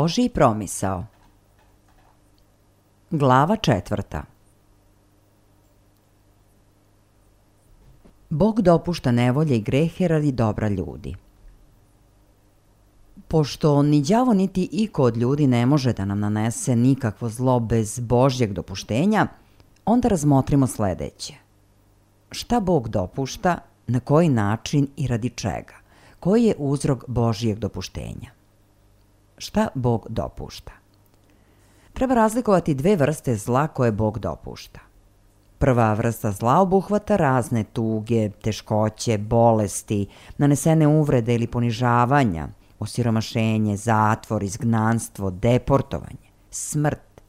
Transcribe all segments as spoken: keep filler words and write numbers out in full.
Božji promisao. Glava četvrta. Bog dopušta nevolje i grehe radi dobra ljudi. Pošto ni đavo niti iko od ljudi ne može da nam nanese nikakvo zlo bez Božjeg dopuštenja, onda razmotrimo sledeće. Šta Bog dopušta, na koji način i radi čega? Koji je uzrok Božjeg dopuštenja? Šta Bog dopušta? Treba razlikovati dve vrste zla koje Bog dopušta. Prva vrsta zla obuhvata razne tuge, teškoće, bolesti, nanesene uvrede ili ponižavanja, osiromašenje, zatvor, izgnanstvo, deportovanje, smrt.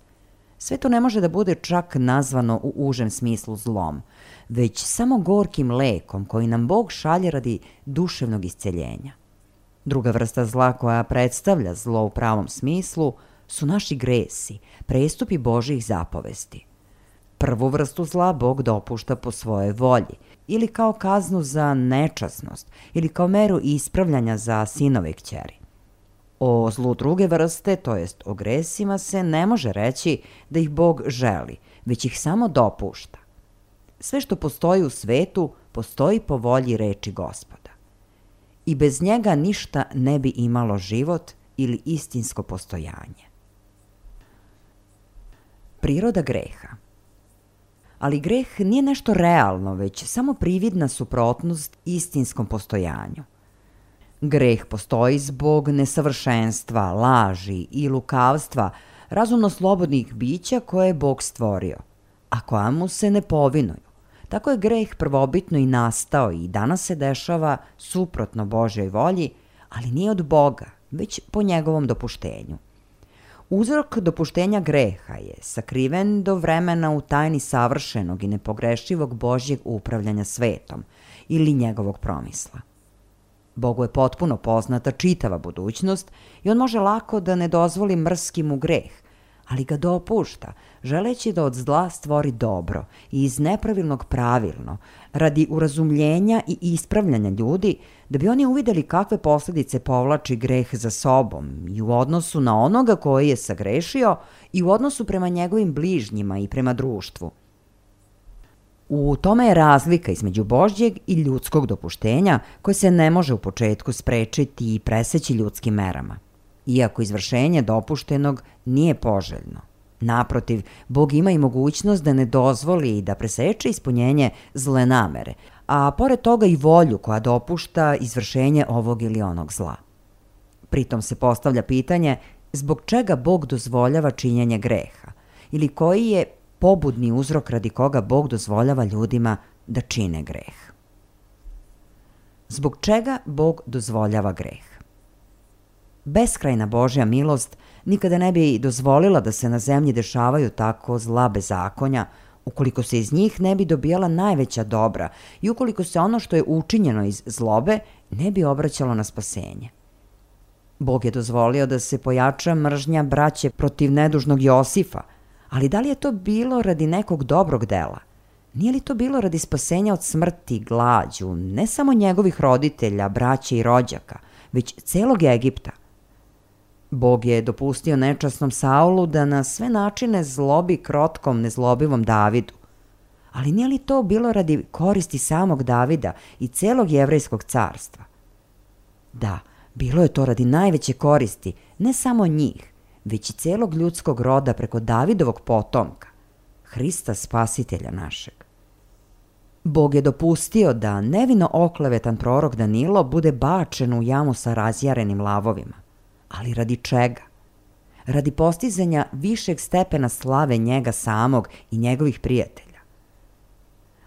Sve to ne može da bude čak nazvano u užem smislu zlom, već samo gorkim lekom koji nam Bog šalje radi duševnog isceljenja. Druga vrsta zla koja predstavlja zlo u pravom smislu su naši gresi, prestupi Božjih zapovesti. Prvu vrstu zla Bog dopušta po svojoj volji, ili kao kaznu za nečasnost, ili kao meru ispravljanja za sinove i kćeri. O zlu druge vrste, to jest o gresima, se ne može reći da ih Bog želi, već ih samo dopušta. Sve što postoji u svetu, postoji po volji reči Gospoda. I bez njega ništa ne bi imalo život ili istinsko postojanje. Priroda greha. Ali greh nije nešto realno, već samo prividna suprotnost istinskom postojanju. Greh postoji zbog nesavršenstva, laži i lukavstva razumno slobodnih bića koje je Bog stvorio, a koja mu se ne povinuju. Tako je greh prvobitno i nastao i danas se dešava suprotno Božjoj volji, ali nije od Boga, već po njegovom dopuštenju. Uzrok dopuštenja greha je sakriven do vremena u tajni savršenog i nepogrešivog Božjeg upravljanja svetom ili njegovog promisla. Bogu je potpuno poznata čitava budućnost i on može lako da ne dozvoli mrski mu greh, ali ga dopušta, želeći da od zla stvori dobro i iz nepravilnog pravilno, radi urazumljenja i ispravljanja ljudi, da bi oni uvideli kakve posledice povlači greh za sobom i u odnosu na onoga koji je sagrešio i u odnosu prema njegovim bližnjima i prema društvu. U tome je razlika između Božjeg i ljudskog dopuštenja koje se ne može u početku sprečiti i preseći ljudskim merama, iako izvršenje dopuštenog nije poželjno. Naprotiv, Bog ima i mogućnost da ne dozvoli i da preseče ispunjenje zle namere, a pored toga i volju koja dopušta izvršenje ovog ili onog zla. Pritom se postavlja pitanje zbog čega Bog dozvoljava činjenje greha ili koji je pobudni uzrok radi koga Bog dozvoljava ljudima da čine greh. Zbog čega Bog dozvoljava greh? Beskrajna Božja milost nikada ne bi dozvolila da se na zemlji dešavaju tako zla bezakonja, ukoliko se iz njih ne bi dobijala najveća dobra i ukoliko se ono što je učinjeno iz zlobe ne bi obraćalo na spasenje. Bog je dozvolio da se pojača mržnja braće protiv nedužnog Josifa, ali da li je to bilo radi nekog dobrog dela? Nije li to bilo radi spasenja od smrti, glađu, ne samo njegovih roditelja, braće i rođaka, već celog Egipta? Bog je dopustio nečasnom Saulu da na sve načine zlobi krotkom, nezlobivom Davidu. Ali nije li to bilo radi koristi samog Davida i celog jevrejskog carstva? Da, bilo je to radi najveće koristi, ne samo njih, već i celog ljudskog roda preko Davidovog potomka, Hrista Spasitelja našeg. Bog je dopustio da nevino oklevetan prorok Danilo bude bačen u jamu sa razjarenim lavovima. Ali radi čega? Radi postizanja višeg stepena slave njega samog i njegovih prijatelja.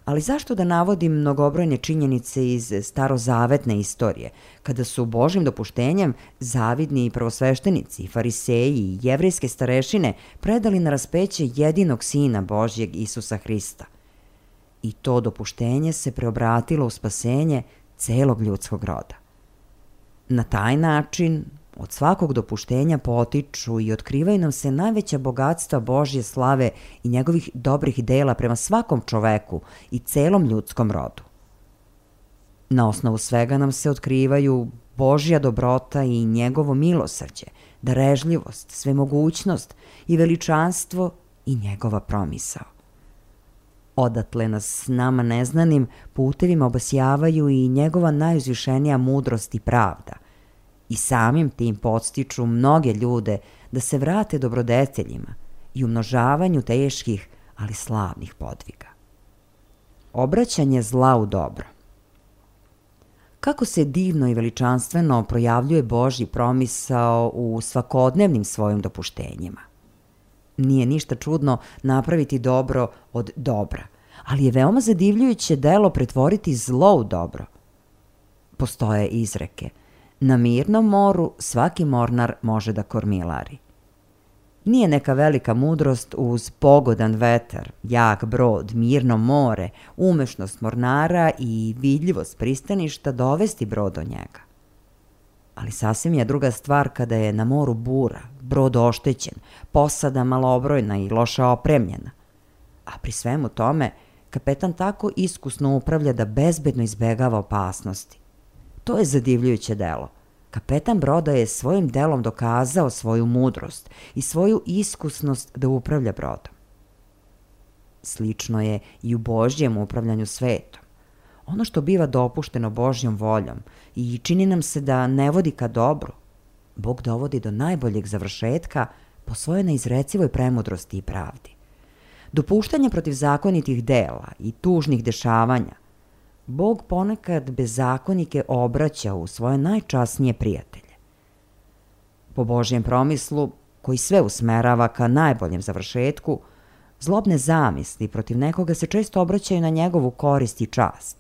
Ali zašto da navodim mnogobrojne činjenice iz starozavetne istorije, kada su Božjim dopuštenjem zavidni prvosveštenici, fariseji i jevrejske starešine predali na raspeće jedinog Sina Božjeg Isusa Hrista? I to dopuštenje se preobratilo u spasenje celog ljudskog roda. Na taj način od svakog dopuštenja potiču i otkrivaju nam se najveća bogatstva Božje slave i njegovih dobrih dela prema svakom čoveku i celom ljudskom rodu. Na osnovu svega nam se otkrivaju Božja dobrota i njegovo milosrđe, darežljivost, svemogućnost i veličanstvo i njegova promisao. Odatle nas nama neznanim putevima obasjavaju i njegova najuzvišenija mudrost i pravda i samim tim podstiču mnoge ljude da se vrate dobrodeteljima i umnožavanju teških, ali slavnih podviga. Obraćanje zla u dobro. Kako se divno i veličanstveno projavljuje Božji promisao u svakodnevnim svojim dopuštenjima. Nije ništa čudno napraviti dobro od dobra, ali je veoma zadivljujuće delo pretvoriti zlo u dobro. Postoje izreke: na mirnom moru svaki mornar može da kormilari. Nije neka velika mudrost uz pogodan vetar, jak brod, mirno more, umešnost mornara i vidljivost pristaništa dovesti brod do njega. Ali sasvim je druga stvar kada je na moru bura, brod oštećen, posada malobrojna i loše opremljena. A pri svemu tome, kapetan tako iskusno upravlja da bezbedno izbegava opasnosti. To je zadivljujuće delo. Kapetan broda je svojim delom dokazao svoju mudrost i svoju iskusnost da upravlja brodom. Slično je i u Božjem upravljanju svetom. Ono što biva dopušteno Božjom voljom i čini nam se da ne vodi ka dobru, Bog dovodi do najboljeg završetka po svojoj neizrecivoj premudrosti i pravdi. Dopuštanje protiv zakonitih dela i tužnih dešavanja, Bog ponekad bezakonike obraća u svoje najčasnije prijatelje. Po Božjem promislu, koji sve usmerava ka najboljem završetku, zlobne zamisli protiv nekoga se često obraćaju na njegovu korist i čast.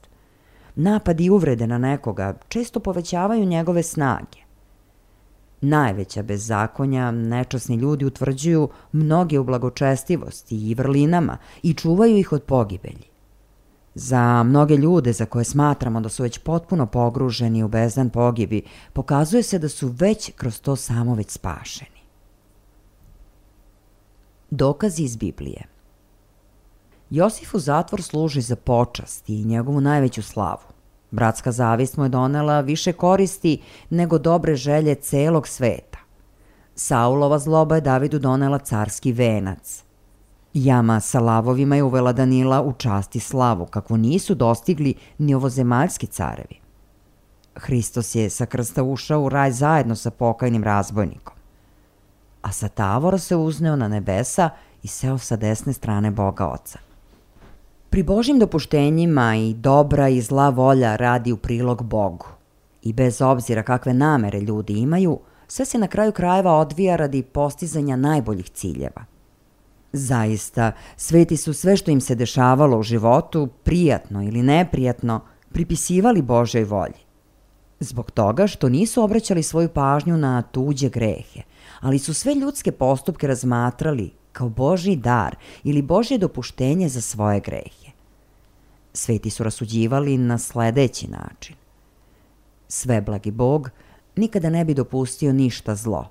Napadi i uvrede na nekoga često povećavaju njegove snage. Najveća bezzakonja nečasni ljudi utvrđuju mnoge u blagočestivosti i vrlinama i čuvaju ih od pogibelji. Za mnoge ljude za koje smatramo da su već potpuno pogruženi u bezdan pogibi, pokazuje se da su već kroz to samo već spašeni. Dokazi iz Biblije. Josifu zatvor služi za počast i njegovu najveću slavu. Bratska zavist mu je donela više koristi nego dobre želje celog sveta. Saulova zloba je Davidu donela carski venac. Jama sa lavovima je uvela Danila u čast i slavu, kakvu nisu dostigli ni ovozemaljski carevi. Hristos je sa krsta ušao u raj zajedno sa pokajnim razbojnikom, a sa tavora se uzneo na nebesa i seo sa desne strane Boga Oca. Pri Božjim dopuštenjima i dobra i zla volja radi u prilog Bogu. I bez obzira kakve namere ljudi imaju, sve se na kraju krajeva odvija radi postizanja najboljih ciljeva. Zaista, sveti su sve što im se dešavalo u životu, prijatno ili neprijatno, pripisivali Božjoj volji. Zbog toga što nisu obraćali svoju pažnju na tuđe grehe, ali su sve ljudske postupke razmatrali kao Božji dar ili Božje dopuštenje za svoje grehe. Sveti su rasuđivali na sledeći način. Sveblagi Bog nikada ne bi dopustio ništa zlo,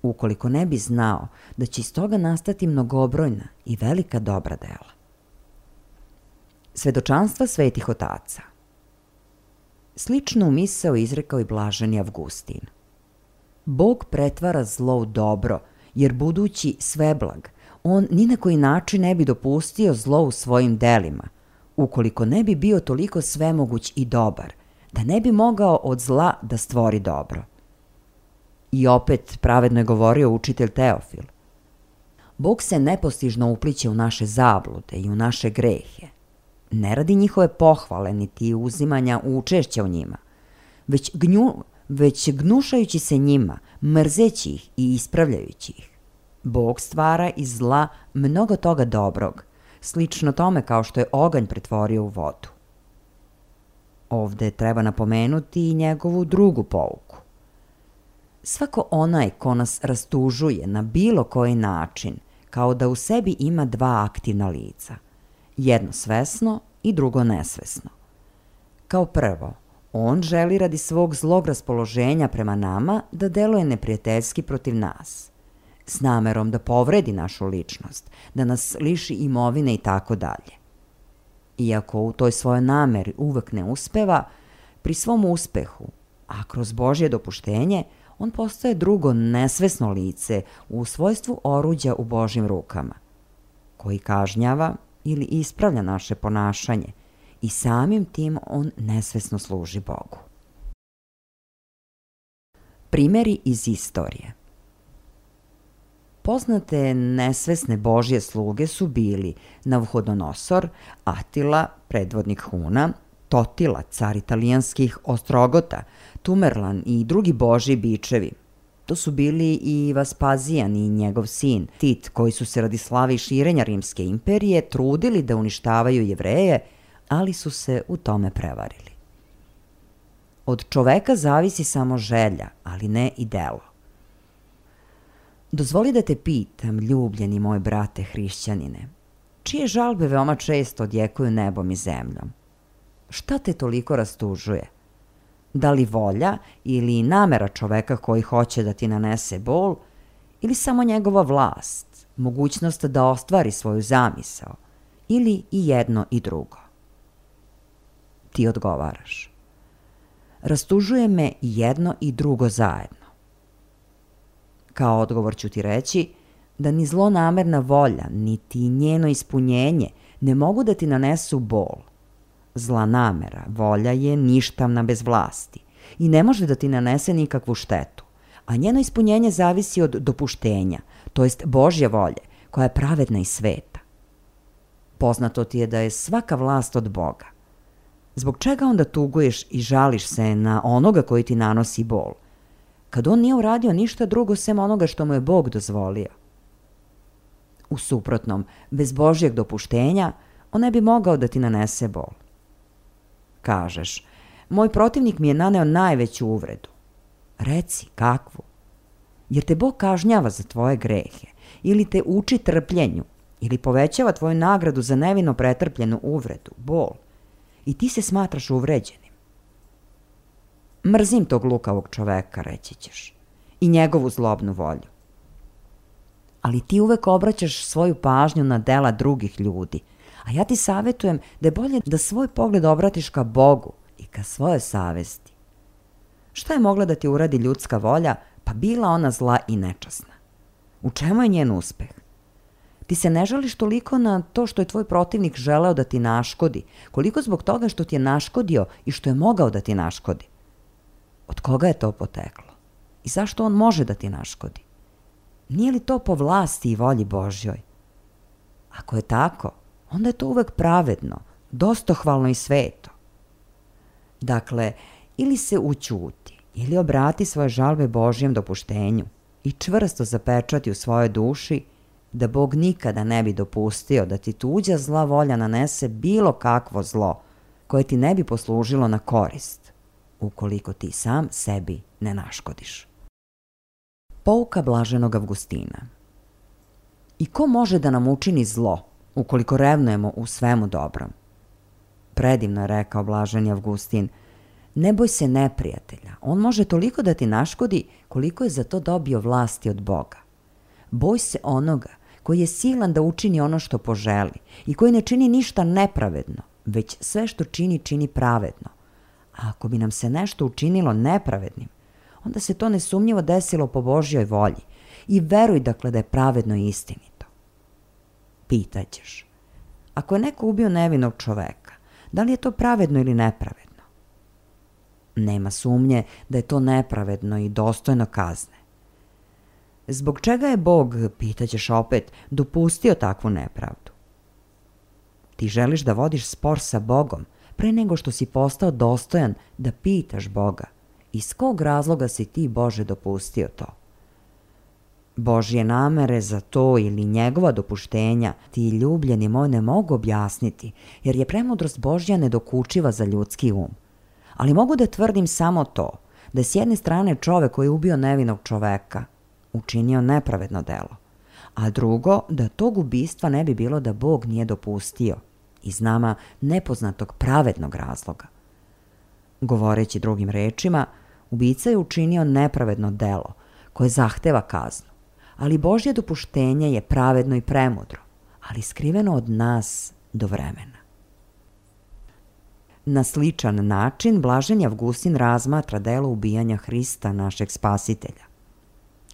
ukoliko ne bi znao da će iz toga nastati mnogobrojna i velika dobra dela. Svedočanstva svetih otaca. Sličnu misao izrekao i blaženi Avgustin. Bog pretvara zlo u dobro, jer budući sveblag, on ni na koji način ne bi dopustio zlo u svojim delima, ukoliko ne bi bio toliko svemoguć i dobar, da ne bi mogao od zla da stvori dobro. I opet pravedno je govorio učitelj Teofil. Bog se nepostižno upliće u naše zablude i u naše grehe. Ne radi njihove pohvale niti uzimanja učešća u njima, već, gnju, već gnušajući se njima, mrzeći ih i ispravljajući ih. Bog stvara iz zla mnogo toga dobrog, slično tome kao što je oganj pretvorio u vodu. Ovde treba napomenuti i njegovu drugu pouku. Svako onaj ko nas rastužuje na bilo koji način, kao da u sebi ima dva aktivna lica, jedno svesno i drugo nesvesno. Kao prvo, on želi radi svog zlog raspoloženja prema nama da deluje neprijateljski protiv nas, s namerom da povredi našu ličnost, da nas liši imovine i tako dalje. Iako u toj svojoj nameri uvek ne uspeva, pri svom uspehu, a kroz Božje dopuštenje, on postaje drugo nesvesno lice u svojstvu oruđa u Božjim rukama, koji kažnjava ili ispravlja naše ponašanje i samim tim on nesvesno služi Bogu. Primjeri iz istorije. Poznate nesvesne Božje sluge su bili Navhodonozor, Atila, predvodnik Huna, Totila, car italijanskih Ostrogota, Tamerlan i drugi Božji bičevi. To su bili i Vaspazijan i njegov sin Tit, koji su se radi slave i širenja Rimske imperije trudili da uništavaju Jevreje, ali su se u tome prevarili. Od čoveka zavisi samo želja, ali ne i delo. Dozvoli da te pitam, ljubljeni moj brate hrišćanine, čije žalbe veoma često odjekuju nebom i zemljom? Šta te toliko rastužuje? Da li volja ili namera čoveka koji hoće da ti nanese bol, ili samo njegova vlast, mogućnost da ostvari svoju zamisao, ili i jedno i drugo? Ti odgovaraš. Rastužuje me jedno i drugo zajedno. Kao odgovor ću ti reći da ni zlonamerna volja, niti njeno ispunjenje ne mogu da ti nanesu bol. Zla namera, volja je ništavna bez vlasti i ne može da ti nanese nikakvu štetu, a njeno ispunjenje zavisi od dopuštenja, to jest Božje volje, koja je pravedna i sveta. Poznato ti je da je svaka vlast od Boga. Zbog čega onda tuguješ i žališ se na onoga koji ti nanosi bol, kad on nije uradio ništa drugo sem onoga što mu je Bog dozvolio? U suprotnom, bez Božjeg dopuštenja, on ne bi mogao da ti nanese bol. Kažeš, moj protivnik mi je naneo najveću uvredu. Reci, kakvu? Jer te Bog kažnjava za tvoje grehe, ili te uči trpljenju, ili povećava tvoju nagradu za nevino pretrpljenu uvredu, bol, i ti se smatraš uvređenim. Mrzim tog lukavog čoveka, reći ćeš, i njegovu zlobnu volju. Ali ti uvek obraćaš svoju pažnju na dela drugih ljudi, a ja ti savjetujem da je bolje da svoj pogled obratiš ka Bogu i ka svojoj savesti. Šta je mogla da ti uradi ljudska volja, pa bila ona zla i nečasna? U čemu je njen uspeh? Ti se ne žališ toliko na to što je tvoj protivnik želeo da ti naškodi, koliko zbog toga što ti je naškodio i što je mogao da ti naškodi. Od koga je to poteklo? I zašto on može da ti naškodi? Nije li to po vlasti i volji Božjoj? Ako je tako, onda je to uvek pravedno, dostohvalno i sveto. Dakle, ili se ućuti, ili obrati svoje žalbe Božjem dopuštenju i čvrsto zapečati u svojoj duši da Bog nikada ne bi dopustio da ti tuđa zla volja nanese bilo kakvo zlo koje ti ne bi poslužilo na korist, ukoliko ti sam sebi ne naškodiš. Pouka blaženog Avgustina. I ko može da nam učini zlo, ukoliko revnujemo u svemu dobrom? Predivno je rekao blaženi Avgustin, ne boj se neprijatelja, on može toliko da ti naškodi koliko je za to dobio vlasti od Boga. Boj se onoga koji je silan da učini ono što poželi i koji ne čini ništa nepravedno, već sve što čini, čini pravedno. A ako bi nam se nešto učinilo nepravednim, onda se to nesumnjivo desilo po Božjoj volji i veruj dakle da je pravedno i istinito. Pitaćeš, ako je neko ubio nevinog čoveka, da li je to pravedno ili nepravedno? Nema sumnje da je to nepravedno i dostojno kazne. Zbog čega je Bog, pitaćeš opet, dopustio takvu nepravdu? Ti želiš da vodiš spor sa Bogom pre nego što si postao dostojan da pitaš Boga iz kog razloga si ti, Bože, dopustio to. Božje namere za to ili njegova dopuštenja ti, ljubljeni moj, ne mogu objasniti, jer je premudrost Božja nedokučiva za ljudski um. Ali mogu da tvrdim samo to, da je s jedne strane čovek koji je ubio nevinog čoveka učinio nepravedno delo, a drugo, da tog ubistva ne bi bilo da Bog nije dopustio iz nama nepoznatog pravednog razloga. Govoreći drugim rečima, ubica je učinio nepravedno delo koje zahteva kaznu, ali Božje dopuštenje je pravedno i premudro, ali skriveno od nas do vremena. Na sličan način blaženi Avgustin razmatra delo ubijanja Hrista, našeg spasitelja.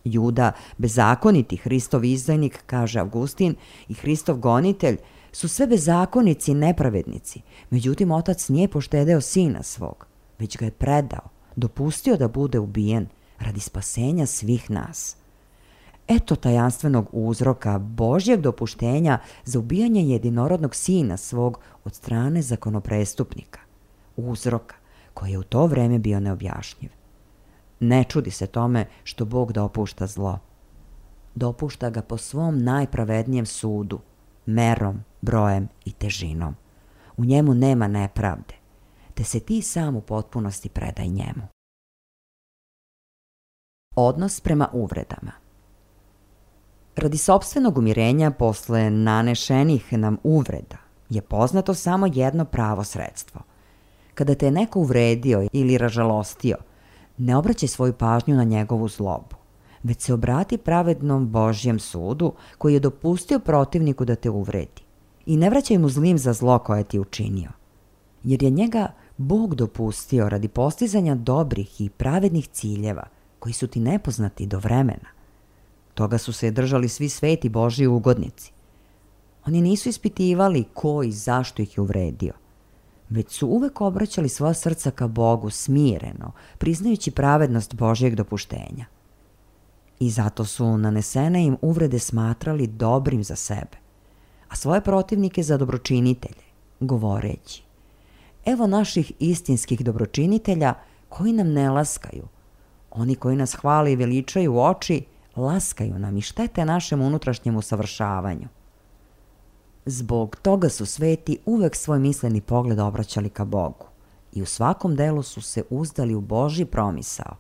Juda, bezakoniti Hristov izdajnik, kaže Avgustin, i Hristov gonitelj su sve bezakonici i nepravednici, međutim otac nije poštedeo sina svog, već ga je predao, dopustio da bude ubijen radi spasenja svih nas. Eto tajanstvenog uzroka Božjeg dopuštenja za ubijanje jedinorodnog sina svog od strane zakonoprestupnika. Uzroka koji je u to vreme bio neobjašnjiv. Ne čudi se tome što Bog dopušta zlo. Dopušta ga po svom najpravednijem sudu, merom, brojem i težinom. U njemu nema nepravde, te se ti sam u potpunosti predaj njemu. Odnos prema uvredama. Radi sopstvenog umirenja posle nanešenih nam uvreda je poznato samo jedno pravo sredstvo. Kada te je neko uvredio ili ražalostio, ne obraćaj svoju pažnju na njegovu zlobu, već se obrati pravednom Božjem sudu koji je dopustio protivniku da te uvredi i ne vraćaj mu zlim za zlo koje ti učinio, jer je njega Bog dopustio radi postizanja dobrih i pravednih ciljeva koji su ti nepoznati do vremena. Toga su se držali svi sveti Božji ugodnici. Oni nisu ispitivali ko i zašto ih je uvredio, već su uvek obraćali svoja srca ka Bogu smireno, priznajući pravednost Božjeg dopuštenja. I zato su nanesene im uvrede smatrali dobrim za sebe, a svoje protivnike za dobročinitelje, govoreći: evo naših istinskih dobročinitelja koji nam ne laskaju. Oni koji nas hvale i veličaju u oči, laskaju nam i štete našem unutrašnjem usavršavanju. Zbog toga su sveti uvek svoj misleni pogled obraćali ka Bogu i u svakom delu su se uzdali u Božji promisao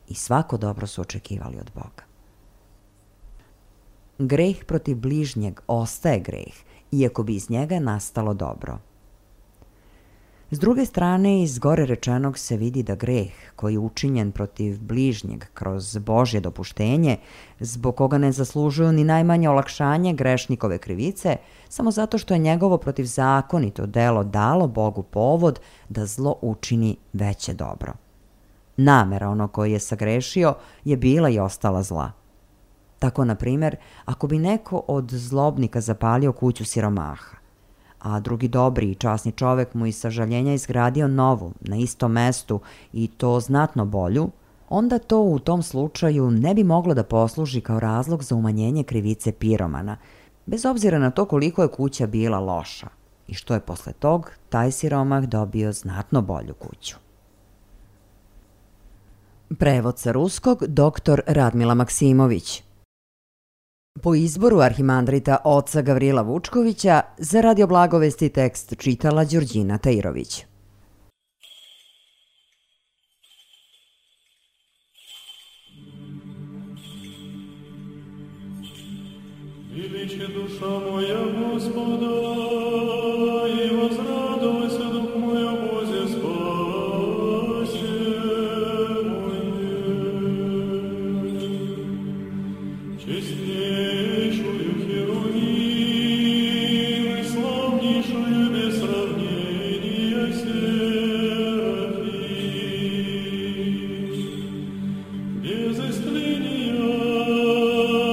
i svako dobro su očekivali od Boga. Greh protiv bližnjeg ostaje greh, iako bi iz njega nastalo dobro. S druge strane, iz gore rečenog se vidi da greh koji je učinjen protiv bližnjeg kroz Božje dopuštenje, zbog koga ne zaslužuju ni najmanje olakšanje grešnikove krivice, samo zato što je njegovo protivzakonito delo dalo Bogu povod da zlo učini veće dobro. Namera onog koji je sagrešio je bila i ostala zla. Tako, na primjer, ako bi neko od zlobnika zapalio kuću siromaha, a drugi dobri i časni čovek mu iz sažaljenja izgradio novu, na istom mestu i to znatno bolju, onda to u tom slučaju ne bi moglo da posluži kao razlog za umanjenje krivice piromana, bez obzira na to koliko je kuća bila loša i što je posle tog taj siromah dobio znatno bolju kuću. Prevod sa ruskog doktor Radmila Maksimović. Po izboru arhimandrita oca Gavrila Vučkovića, za Radio Blagovesti tekst čitala Đurđina Tajirović. Величи душа моя Господа, и возрадуйся дух мой о Бозе спасе моей. Честнейшую Херувим и славнейшую без сравнения Серафим, без истления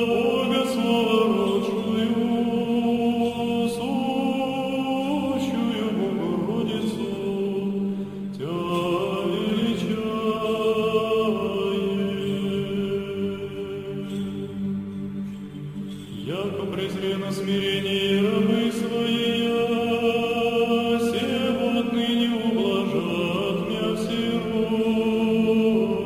Бога словородшую, сущую Богородицу, Тя величаем. Яко презрено смирение рабы своей, сего отныне ублажат мя все роди.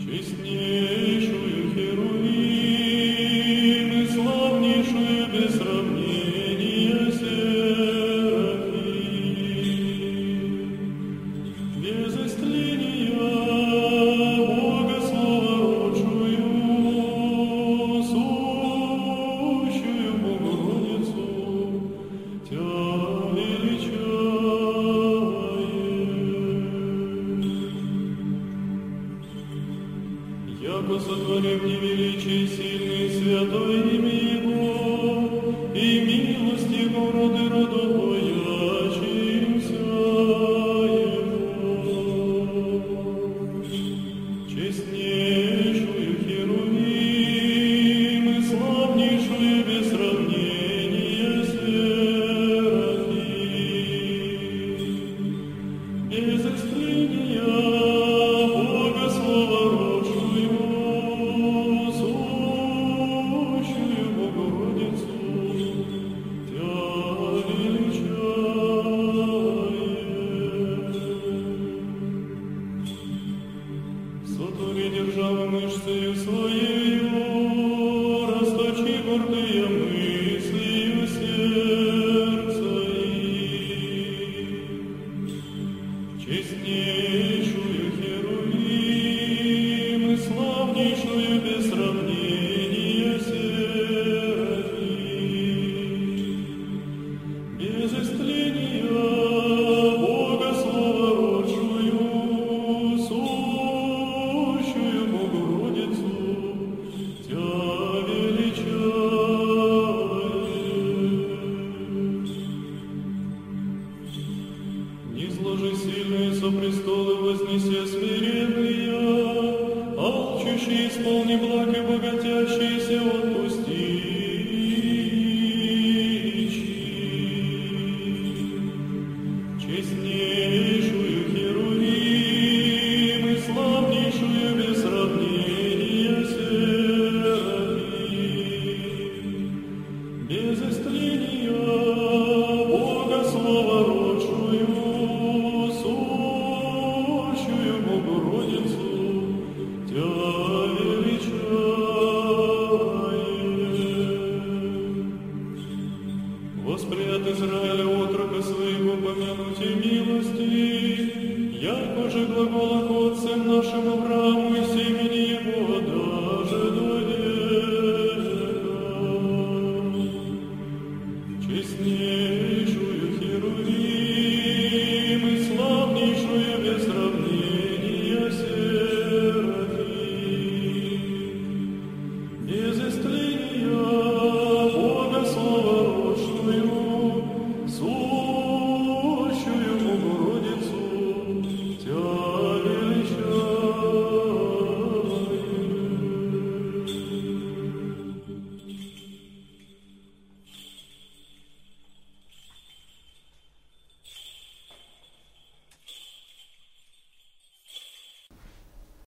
Честнейшую Херувим и славнейшую без сравнения Серафим, без истления Бога словородшую, сущую Богородицу, Тя величаем. Яко сотворив невеличий, сильный, святой имя Его, и милость Его роды родовой своею, расточи гордые мыслью сердца их. Честнейшую Херувим и славнейшую без сравнения Серафим. Без истления Бога словородшую, сущую Богородицу, Тя величаем. Низложи сильные со престолы вознеся смиренные, алчущие исполни благ и богатящиеся отпусти.